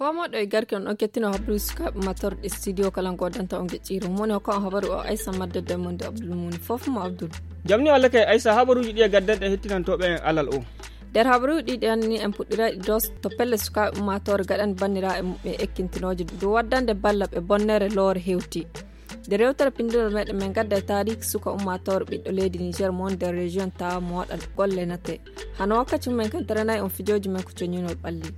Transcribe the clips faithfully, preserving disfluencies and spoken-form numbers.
Famoɗo e garke on ɗon kettino habaruuji sukaaɓe matorɗe studio kala ngodanta on geƴƴiire mum woni hokka on habaru o aysa maddorde e monde abdul muni fof mo abdul. Jamni allah kay aysa habaruuji ɗi e gaddanɗe hettinantooɓe en alal o. Nder habaruuji ɗi ɗen ni en puɗɗirayɗi dos to pelle sukaaɓe ummaatoore gaɗani banndiraaɓe muɓɓe ekkintinooje dow waddande balla ɓe bonnere loore hewti. Nde rewtere pinndinol meɗen min gadda e taariki suka ummaatoore ɓiɗɗo leydi niger mo woni nder région tawa mo waɗa golle nate hano wakkati mumen kan taranay on fijooji men ko coñinol ɓalli.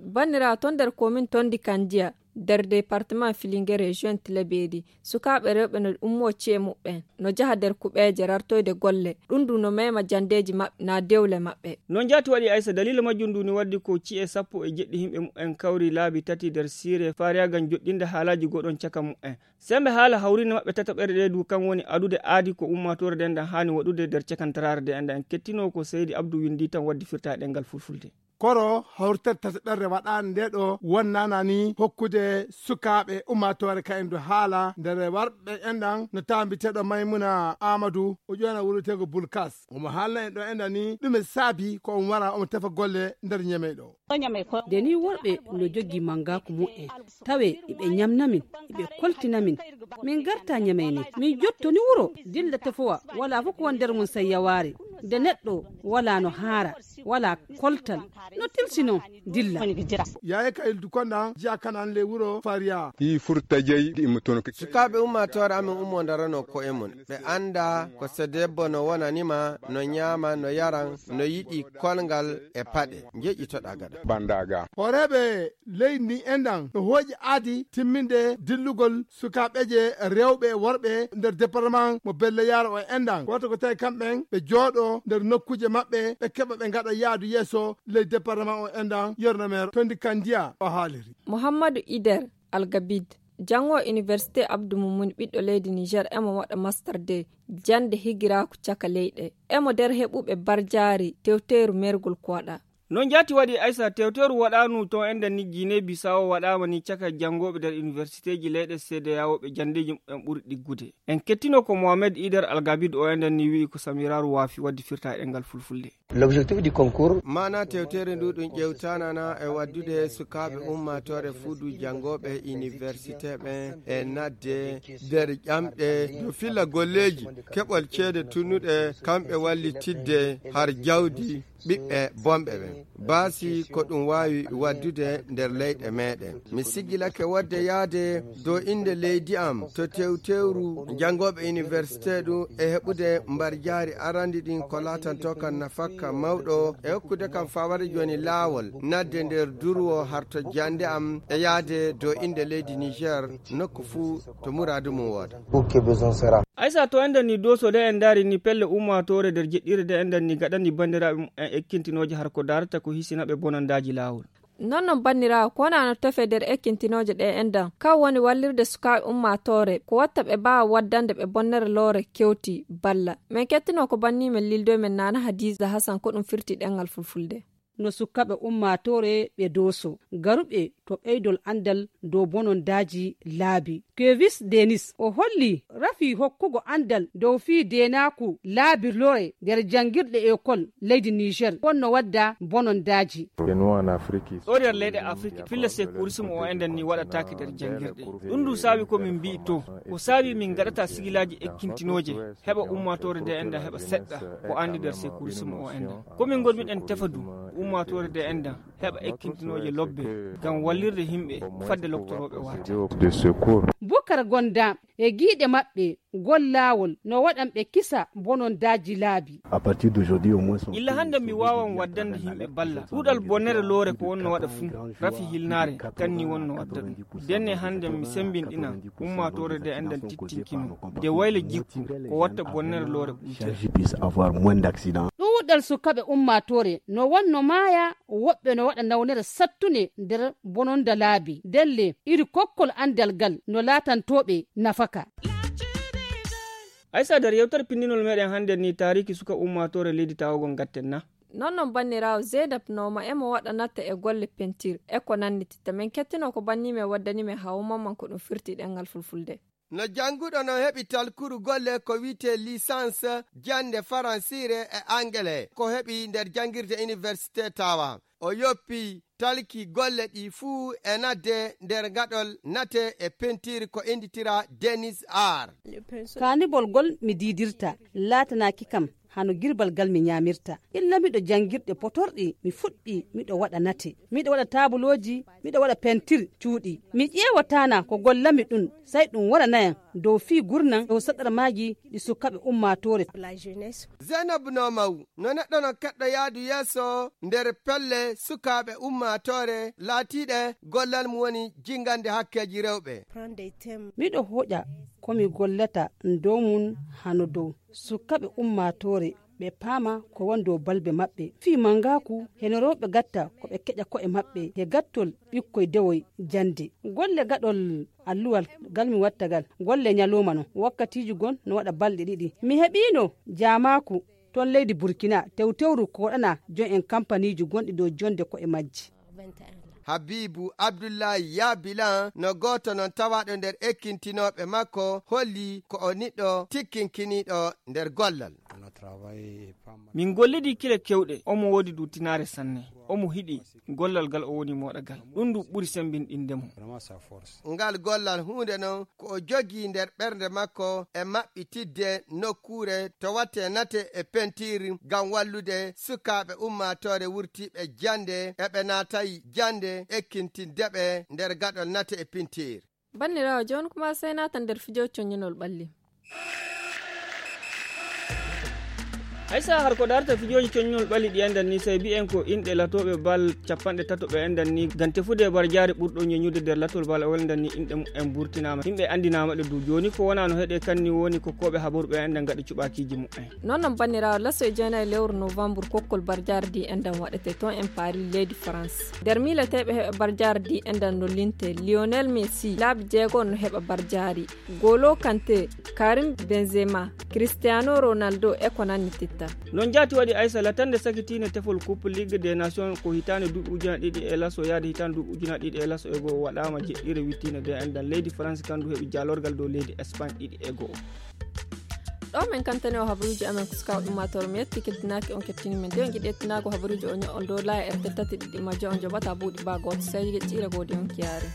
Banndiraawo ton nder komin tondi kandiya nder département filinge région tilabeeri sukaaɓe rewɓe no ummo ci'e muɓɓen no jaha nder kuɓeeje rartoyde golle. Ɗum ndu no mema janndeeji maɓɓe na dewle maɓɓe. Noon jaati waɗi aysa daliila majjum ndu ni waddi ko ci'e sappo e jeɗɗi yimɓe muɓɓen kawri laabi tati nder siire faariyaagal joɗɗinde haalaaji goɗon caka muɓɓen. Semmbe haala hawriinde maɓɓe tataɓere ɗe du kan woni adude aadi ko ummaatoore nden ɗan haani waɗude nder cakantaraare nde enda en kettino ko seydi abdou winndi tan waddi firta e ɗemngal fulfulde. Koro hawritere tataɓere waɗaande nde ɗo wonnana ni hokkude sukaaɓe ummaatoore ka en du haala nder warɓe en ɗan no taambiteeɗo maymuna amadou o ƴoona wuroteego bulkas omo haalna en ɗo enda ni ɗume saabi ko on wara omo tefa golle nder ñamey ɗo. Nde ni worɓe no jogii manngaku mu'en tawe iɓe ñamna min iɓe koltina min. Min garta ñamey ni min jottoni wuro dilla tefowa wala fof ko won nder mum sey yawaare. Nde neɗɗo wala no haara wala koltal no tilsi noon dilla. Yaaye ka ildu konɗan jiya kanan le wuro fariya. Hi furta jey ɗi immotono ke sukaaɓe ummaatoore amen ummo ndarano ko'e mum ɓe annda ko so debbo no wonanima no ñaama no yaran no yiɗi kolngal e paɗe njeƴƴitoɗa gaɗa. Bandaga hooreeɓe leydi ndi enɗan no hooƴi aadi timminde dillugol sukaaɓeje rewɓe e worɓe nder département mo belle yaara o enɗan wata ko tawi kamɓen ɓe jooɗo nder nokkuuje maɓɓe ɓe keɓa ɓe ngaɗa yaadu yeeso ley département o enɗan yerno meer tondi kandiya o haaliri. Mouhammadou ider algabid janngo université abdou mumuni ɓiɗɗo leydi niger emo waɗa master de jannde higiraaku caka leyɗe emo nder heɓuɓe barjaari tewteeru mergol ko waɗa. Noon jaati waɗi aysa tewteeru waɗaanu toon e nder ni guinée bissau waɗaama ni caka janngooɓe nder universitéeji leyɗe cda o ɓe janndeeji muɓɓen ɓuri ɗiggude. En kettino ko mohamed ider algabid o e nder ni wi'i ko samiraaru waafi waɗde firta e ɗemngal fulfulde. L'objectif du concours maana tewteere ndu ɗum ƴewtanana e waɗdude sukaaɓe ummaatoore fuudu janngooɓe université ɓen e naatde nder ƴamɗe no filla golleeji keɓol ceede tunnuɗe kamɓe wallitidde har jawdi ɓiɓɓe bonɓe ɓen. Baasi ko ɗum waawi waɗdude nder leyɗe meɗen mi siggilake waɗde yaade dow innde leydi am to tewtewru janngooɓe université ɗum e heɓude mbarjaari arandi ɗin ko laatanto kan nafakka mawɗo e hokkude kam fawade jooni laawol naatde nder durwo harto jannde am e yaade dow innde leydi niger nokku fuu to muraadu mum wooda. Aysa to enɗen ni doso de en ndaari ni pelle ummaatoore nder jeɗɗire de enɗen ni gaɗani banndiraaɓe mumen ekkintinooje har ko daarata ko hisina ɓe bonandaaji laawol. Non non banndiraawo ko wonaa no tefe nder ekkintinooje ɗe enɗan kan woni wallirde sukaaɓe ummaatoore ko watta ɓe mbaawa waddande ɓe bonnere loore kewti balla. Min kettinoo ko banni men lildoy men naana hadiisa hasan ko ɗum firti ɗemngal fulfulde. No sukkaɓe ummaatoore ɓe dooso garuɓe to ɓeydol anndal dow bonondaaji laabi. Kevis denis o holli rafi hokkugo anndal dow fii deenaaku laabi lore nder janngirɗe ekol leydi niger wonno wadda bonondaaji. Ɗo nder leyɗe afrik filla sécurisme o enɗen ni waɗataake nder janngirɗe. Ɗum ndu saabi ko min mbi'i to ko saabi min ngaɗata sigilaaji ekkintinooje heɓa ummaatoore nde enɗen heɓa seɗɗa ko anndi nder sécurisme o enɗen ko min ngonmiɗen tefa du ummaatoore nde enɗen heɓa ekkintinooje lobbe ngam wallirde yimɓe fadde loktorooɓe waate. Bukar gonda e giiɗe maɓɓe ngol laawol no waɗan ɓe kisa bonondaaji laabi. Illa hannde mi waawan waddande yimɓe balla ɗuuɗal bonnere loore ko wonno waɗa fuu rafi hilnaare kanni wonno wadda ɗum. Denne hannde mi semmbinɗinan ummaatoore nde enɗan tittinkino nde wayla jikku ko watta bonnere loore ɓumtere. Ɗuuɗal sukaɓe ummaatoore no wonno maaya woɓɓe no waɗa nawnere sattunde nder bononda laabi ndelle iri kokkol anndal ngal no laatantoɓe nafaka. Aysa nder yewtere pinndinol meɗen hannde ni taariki suka ummaatoore leydi tawagol ngatten na? Non non banniraawo zeynab nooma emo waɗa natta e golle pentir e ko nanndititta min kettino ko banni men waddani men hawo mamman ko ɗum firti ɗemngal fulfulde. No jannguɗo no heɓi talkuru golle ko wiyetee licence jannde faransiire e angele ko heɓi nder janngirde université tawa. O yoppi talki golle ɗi fuu e nadde nder gaɗol nate e pentiir ko innditira Denis Ar. Kaanibol gol mi diidirta laatanaaki kam hano girbal gal mi ñaamirta. Illa miɗo janngirɗe potorɗi mi fuɗɗi miɗo waɗa nate. Miɗo waɗa taabulooji, miɗo waɗa pentir cuuɗi. Mi ƴeewataana ko gollami ɗum, sey ɗum waɗanayam dow fii gurnan dow saɗarmaaji ɗi sukaaɓe ummaatoore. Zainab Nomaw, no neɗɗo no keɗɗo yaadu yeeso nder pelle sukaaɓe ummaatoore laatiiɗe gollal mum woni jingande hakkeeji rewɓe. Miɗo hoƴa ko mi gollata dow mum hano dow sukaaɓe ummaatoore ɓe paama ko woni dow balbe maɓɓe. Fii mangaaku heno rewɓe gatta ko ɓe keƴa ko'e maɓɓe he gattol ɓikkoy dewoy jannde. Golle gaɗol alluwal gal mi watta gal golle ñalooma no wakkatiiji gon no waɗa balɗe ɗiɗi. Mi heɓiino jaamaaku ton leydi Burkina tewtewru ko waɗana jon en kampaniiji gonɗi dow jonde ko'e majji. Habibu Abdullahi Yabilan no gooto non tawaaɗo nder ekkintinooɓe makko holli ko o niɗɗo tikkinkiniiɗo nder gollal. Min gollidi kile kewɗe, omo woodi duutinaare sanne, omo hiɗi gollal gal o woni moɗa gal. Ɗum ndu ɓuri sembinɗinde mo. Ngal gollal huunde non ko o jogii nder ɓernde makko e maɓɓitidde nokkuure to watte nate e pentiir ngam wallude sukaaɓe ummaatoore wurtiiɓe jannde e ɓe naatayi jannde ekkintindeɓe nder gaɗol nate e pentiir. Banniraawo, jooni kuma sey naata nder fijo coññinol ɓalli. Haysa har ko darta fijooji coññol ɓalli ɗi enɗan ni, sey bi'en ko inɗe latooɓe bal capanɗe tato ɓe enɗan ni, ngam tefude barjaare ɓurɗo ñeñude nder latol bal o enɗan ni, inɗe mumen burtinaama. Yimɓe anndinaama ɗe du. Jooni ko wonaa no heɗe kan ni woni ko kooɓe habaru ɓe enɗan ngaɗi cuɓaakiiji mumen. Non non banniraawo, laso e jeenayi lewru novembre kokkol barjaare di enɗan waɗete ton en Paris leydi France. Nder miileteeɓe heɓe barjaare di enɗan no linte Lionel Messi, laabi jeego no heɓa barjaari. Golo Kante, Karim Benzema, Cristiano Ronaldo e ko nanni titta. Non jaati waɗi Aysa latande sakitiinde tefol Coupe Ligue des Nations ko hitaande duuɓi ujunaaji ɗiɗi e laso yaade hitaande duuɓi ujunaaji ɗiɗi e laso e goo waɗaama jeɗɗire wittiinde de enɗan leydi France kandu heɓi jaalorgal dow leydi Espagne ɗiɗi e goo. Ɗo men kantani o habaruuji amen ko suka ummaatoore mi yetti keddinaaki on kettini men de on jiɗi ettinaago habaruuji o ño'on dow laya R T tati ɗiɗi majjo on joɓata buuɗi ba gooto sey jeɗɗire goo de on kiyaare.